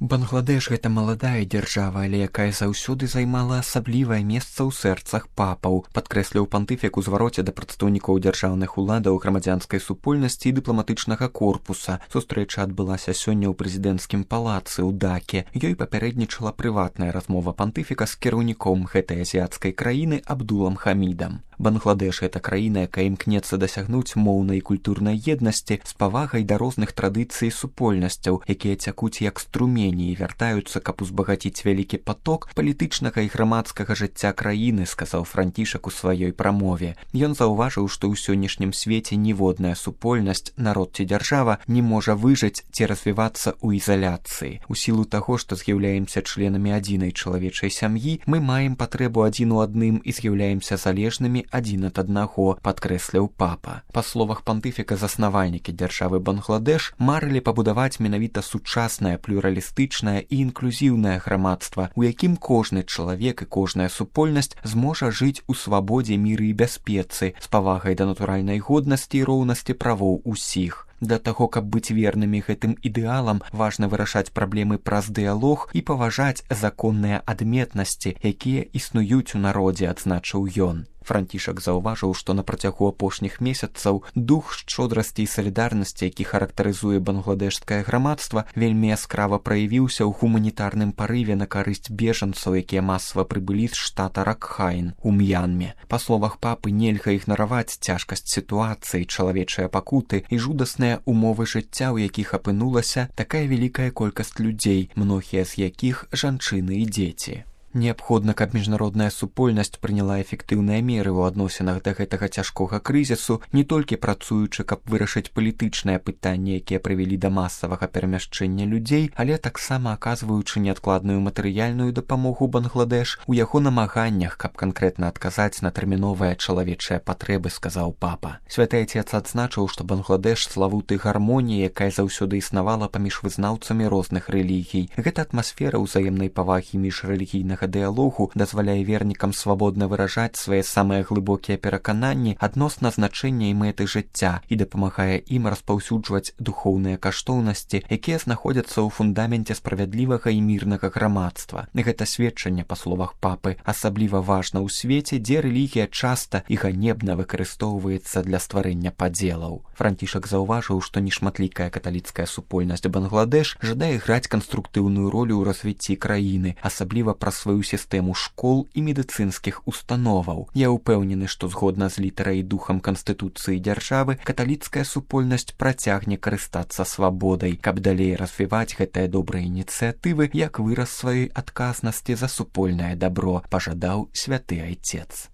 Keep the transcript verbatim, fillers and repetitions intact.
Бангладеш гэта маладая дзяржава, але якая заўсёды займала асаблівае месца ў сэрцах папаў, падкрэсліў пантыфік у звароце да прадстаўнікоў дзяржаўных уладаў, грамадзянскай супольнасці і дыпламатычнага корпуса. Сустрэча адбылася сёння ў прэзідэнцкім палацы ў Даке. Ёй папярэднічала прыватная размова пантыфіка з кіраўніком гэтай азіяцкай краіны Абдулам Хамідам. Бангладеш гэта краіна, якая імкнецца дасягнуць моўнай і культурнай еднасці з павагай да розных традыцый і супольнасцяў, якія цякуць як струмені і вяртаюцца, каб узбагаціць вялікі паток палітычнага і грамадскага жыцця краіны, сказаў Францішак у сваёй прамове. Ён заўважыў, што ў сённяшнім свеце ніводная супольнасць, народ ці дзяржава не можа выжыць ці развівацца ў ізаляцыі. У сілу таго, што з'яўляемся членамі адзінай чалавечай сям'і, мы маем патрэбу адзін у адным і з'яўляемся залежнымі адзін ад аднаго, падкрэсліў папа. Па словах пантыфіка, заснавальнікі дзяржавы Бангладеш марылі пабудаваць менавіта сучаснае, плюралістычнае і інклюзіўнае грамадства, у якім кожны чалавек і кожная супольнасць зможа жыць у свабодзе, міры і бяспецы, з павагай да натуральнай годнасці і роўнасці правоў усіх. Для таго, каб быць вернымі гэтым ідэалам, важна вырашаць праблемы праз дыялог і паважаць законныя адметнасці, якія існуюць у народзе, адзначыў ён. Францішак заўважыў, што на працягу апошніх месяцаў дух шчодрасці і салідарнасці, які характарызуе бангладешскае грамадства, вельмі яскрава праявіўся ў гуманітарным парыве на карысць бежанцаў, якія масава прыбылі з штата Ракхайн у М'янме. Па словах папы, нельга ігнараваць цяжкасць сітуацыі, чалавечыя пакуты і жудасныя умовы жыцця, у якіх апынулася такая вялікая колькасць людзей, многія з якіх жанчыны і дзеці. Неабходна, каб міжнародная супольнасць прыняла эфектыўныя меры ў адносінах да гэтага цяжкога крызісу, не толькі працуючы, каб вырашыць палітычныя пытанні, якія прывялі да масавага перамяшчэння людзей, але таксама аказваючы неадкладную матэрыяльную дапамогу Бангладеш у яго намаганнях, каб канкрэтна адказаць на тэрміновыя чалавечыя патрэбы, сказаў папа. Святы Ацец адзначыў, што Бангладеш славуты гармоніі, якая заўсёды існавала паміж вызнаўцамі розных рэлігій. Гэта атмасфера ўзаемнай павагі міжрэлігійнага дыялогу дазваляе вернікам свабодна выражаць свае самыя глыбокія перакананні адносна значэння і мэты жыцця і дапамагае ім распаўсюджваць духоўныя каштоўнасці, якія знаходзяцца ў фундаменце справядлівага і мірнага грамадства. Гэта сведчанне, па словах папы, асабліва важна ў свеце, дзе рэлігія часта і ганебна выкарыстоўваецца для стварэння падзелаў. Францішак заўважыў, што нешматлікая каталіцкая супольнасць Бангладеш жадае граць канструктыўную ролю ў развіцці краіны, асабліва праз сваю сістэму школ і медыцынскіх установаў. Я ўпэўнены, што згодна з літарай і духам канстытуцыі дзяржавы каталіцкая супольнасць працягне карыстацца свабодай, каб далей развіваць гэтыя добрыя ініцыятывы як выраз сваёй адказнасці за супольнае дабро, пажадаў святы Айцец.